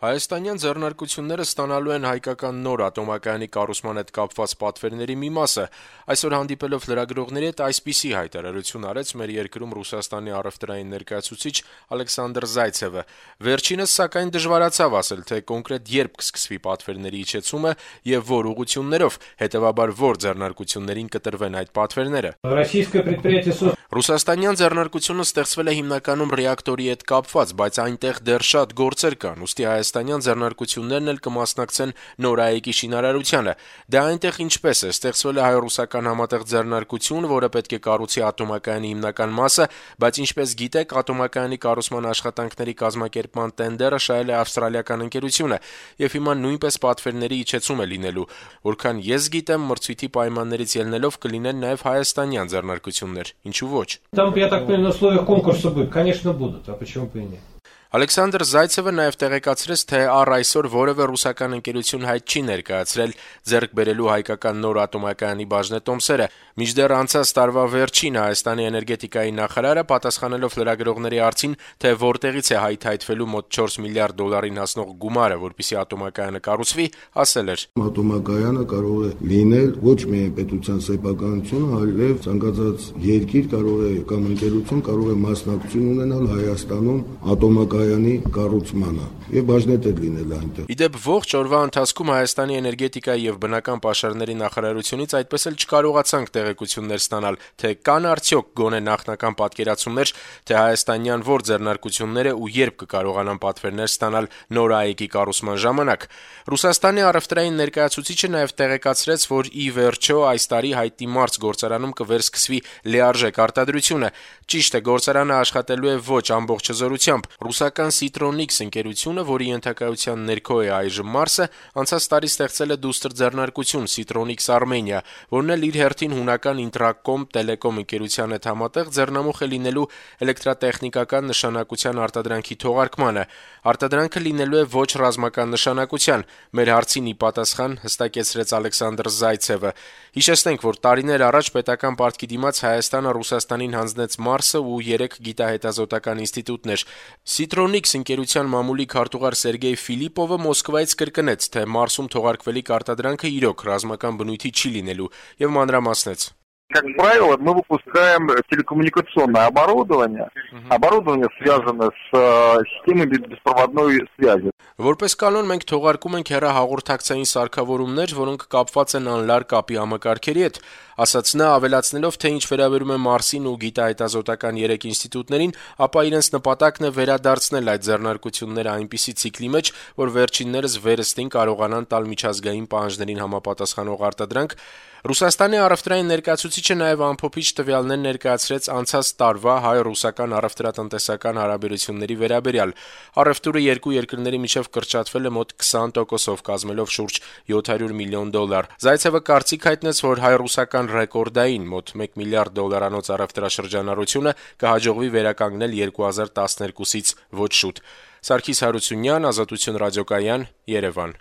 Հայաստանյան ձեռնարկությունները ստանալու են հայկական նոր ատոմակայանի կառուցման հետ կապված պատվերների մի մասը։ Այսօր հանդիպելով լրագրողների հետ այսպիսի հայտարարություն արեց մեր երկրում Ռուսաստանի առևտրային ներկայացուցիչ Ալեքսանդր Զայցևը։ Վերջինս, սակայն, դժվարացավ ասել, թե կոնկրետ երբ կսկսվի պատվերների իջեցումը եւ որ ուղղություններով, հետեւաբար որ ձեռնարկություններին կտրվեն այդ պատվերները։ Ռուսաստանյան ձեռնարկությունը ստեղծվել է հիմնականում ռեակտորի հետ կապված, բայց այնտեղ դեռ շատ գործեր կան, ուստի հայաստանյան ձեռնարկություններն էլ կմասնակցեն նորայեկի շինարարությանը։ Դե այնտեղ ինչպես է, ստեղծվել է հայ-ռուսական համատեղ ձեռնարկություն, որը պետք է կառուցի ատոմակայանի հիմնական մասը, բայց ինչպես գիտեք, ատոմակայանի կառուցման աշխատանքների կազմակերպման տենդերը շահել է ավստրալիական ընկերությունը, եւ հիմա նույնպես պատվերների իջեցում է լինելու։ Որքան ես գիտեմ, մրցույթի պայմաններից ելնելով կլինեն նաեւ հայաստանյան ձեռնարկություններ, ինչու ոչ։ Там, я так понимаю, на условиях конкурса будет, конечно, будут, а почему бы и нет? Ալեքսանդր Զայցևը նաև տեղեկացրեց, թե առ այսօր որևէ ռուսական ընկերություն հայտ չի ներկայացրել ձեռք բերելու հայկական նոր ատոմակայանի բաժնետոմսերը։ Մինչդեռ անցած տարվա վերջին Հայաստանի էներգետիկայի նախարարը պատասխանելով լրագրողների հարցին, թե որտեղից է հայթայթվելու մոտ 4 միլիարդ դոլարին հասնող գումարը, որպեսզի ատոմակայանը կառուցվի, ասել էր. Ատոմակայանը կարող է լինել ոչ միայն պետության սեփականությունը, այլև ցանկացած երկիր կարող է կամ ընկերություն կարող է մասնակցություն ունենալ Հայաստանում ատոմակայանի կառուցմանը եւ բաժնետեր լինել այնտեղ։ Իդեպ ողջ օրվա ընթացքում Հայաստանի էներգետիկայի եւ բնական պաշարների նախարարությունից այդպես էլ չկարողացանք տեղեկություններ ստանալ, թե կան արդյոք գոնե նախնական պատկերացումներ, թե հայաստանյան որ ձեռնարկությունները ու երբ կկարողանան պատվերներ ստանալ նոր ԱԵԿ-ի կառուցման ժամանակ։ Ռուսաստանի առևտրային ներկայացուցիչը նաեւ տեղեկացրեց, որ ի վերջո այս տարի Հայտի մարզ գործարանում կվերսկսվի լիարժեք արտադրությունը։ Ճիշտ է, գործարանը աշխատելու է ոչ ամբողջ հզորությամբ։ Ռուսական Citronics ընկերությունը, որի ենթակայության ներքո է այժմ Մարսը, անցած տարի ստեղծել է դուստր ձեռնարկություն Citronics Armenia, որն էլ իր հերթին հունական Intracom Telecom ընկերության հետ համատեղ ձեռնամուխ է լինելու էլեկտրատեխնիկական նշանակության արտադրանքի թողարկմանը։ Արտադրանքը լինելու է ոչ ռազմական նշանակության։ Մեր հարցին ի պատասխան հստակեցրեց Ալեքսանդր Զայցևը։ Հիշեցնենք, որ տարիներ առաջ պետական պարտքի դիմաց Հայաստանը Ռուսաստանին հանձնեց Մարսը ու 3 գիտահետազոտական ինստիտուտներ։ Citronics ընկերության մամուլի քարտուղար Սերգեյ Ֆիլիպովը Մոսկվայից կրկնեց, թե Մարսում թողարկվելիք արտադրանքը իրոք ռազմական բնույթի չի լինելու եւ մանրամասնեց. Как правило, мы выпускаем телекоммуникационное оборудование, связанное с системой беспроводной связи. Որպես կանոն մենք թողարկում ենք հեռահաղորդակցային սարքավորումներ, որոնք կապված են անլար կապի համակարգերի հետ, ասաց նա, ավելացնելով, թե ինչ վերաբերում է Մարսին ու գիտահետազոտական 3 ինստիտուտներին, ապա իրենց նպատակն է վերադարձնել այդ ձեռնարկությունները այնպիսի ցիկլի մեջ, որ վերջիններս վերստին կարողանան տալ միջազգային պահանջներին համապատասխանող արտադրանք։ Ռուսաստանի առևտրային ներկայացուցիչը նաև ամփոփիչ տվյալներ ներկայացրեց անցած տարվա հայ-ռուսական առևտրատնտեսական հարաբերությունների վերաբերյալ։ Առևտուրը երկու երկրների միջև կրճատվել է մոտ 20%-ով, կազմելով շուրջ $700 միլիոն։ Զայցևը կարծիք հայտնեց, որ հայ-ռուսական ռեկորդային մոտ $1 միլիարդ առևտրաշրջանառությունը կհաջողվի վերականգնել 2012-ից ոչ շուտ։ Սարգիս Հարությունյան, Ազատություն ռադիոկայան, Երևան։